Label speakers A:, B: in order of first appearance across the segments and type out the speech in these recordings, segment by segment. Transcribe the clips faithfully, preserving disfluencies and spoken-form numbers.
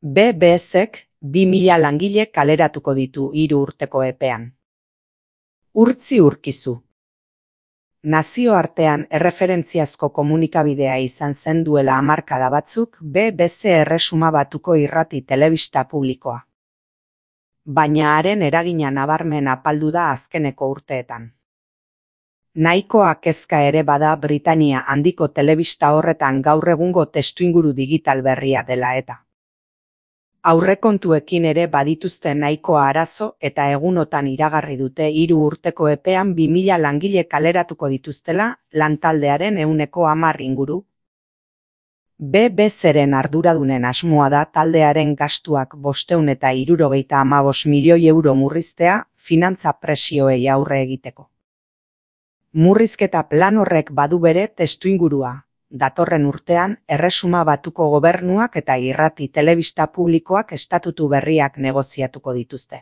A: B B Zek bi mila langile kaleratuko ditu hiru urteko epean. Urtzi urkizu. Nazioartean erreferentziazko komunikabidea izan zen duela hamarkada batzuk B B Z Erresuma Batuko irrati telebista publikoa. Baina haren eragina nabarmen apaldu da azkeneko urteetan. Nahikoa kezka ere bada Britania handiko telebista horretan gaur egungo testuinguru digital berria dela eta. Aurrekontuekin ere badituzte nahikoa arazo eta egunotan iragarri dute hiru urteko epean bi mila langile kaleratuko dituztela lantaldearen ehuneko hamar inguru. B B Zren arduradunen asmoa da taldearen gastuak bostehun eta hirurogeita hamabost milioi euro murriztea finantza presioei aurre egiteko. Murrizketa plan horrek badu bere testuingurua. Datorren urtean, Erresuma Batuko gobernuak eta irrati telebista publikoak estatutu berriak negoziatuko dituzte.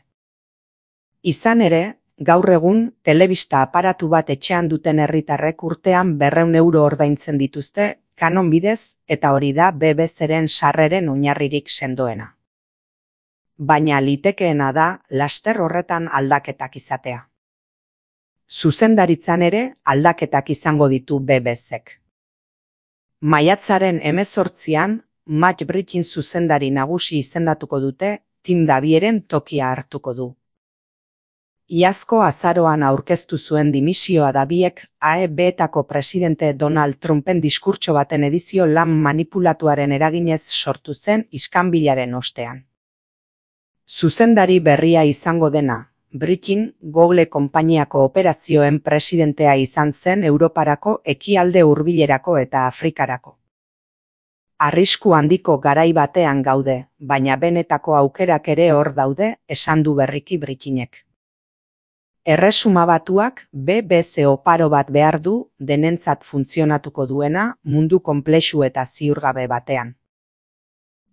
A: Izan ere, gaur egun, telebista aparatu bat etxean duten herritarrek urtean berrehun euro ordaintzen dituzte, kanon bidez, eta hori da B B Zren sarreren oinarririk sendoena. Baina litekeena da, laster horretan aldaketak izatea. Zuzendaritzan ere, aldaketak izango ditu B B Zek. Maiatzaren hemezortzian, Matt Brittin zuzendari nagusi izendatuko dute, Tim Davieren tokia hartuko du. Iazko azaroan aurkeztu zuen dimisioa Daviek A E B-etako presidente Donald Trumpen diskurtso baten edizio lan manipulatuaren eraginez sortu zen iskanbilaren ostean. Zuzendari berria izango dena, Brittin, Google konpainiako operazioen presidentea izan zen Europarako, ekialde hurbilerako eta Afrikarako. Arrisku handiko garai batean gaude, baina benetako aukerak ere hor daude, esan du berriki Brittinek. Erresuma Batuak B B Z oparo bat behar du, denentzat funtzionatuko duena, mundu konplexu eta ziurgabe batean.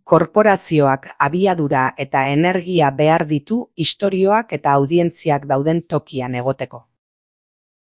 A: Korporazioak abiadura eta energia behar ditu istorioak eta audientziak dauden tokian egoteko.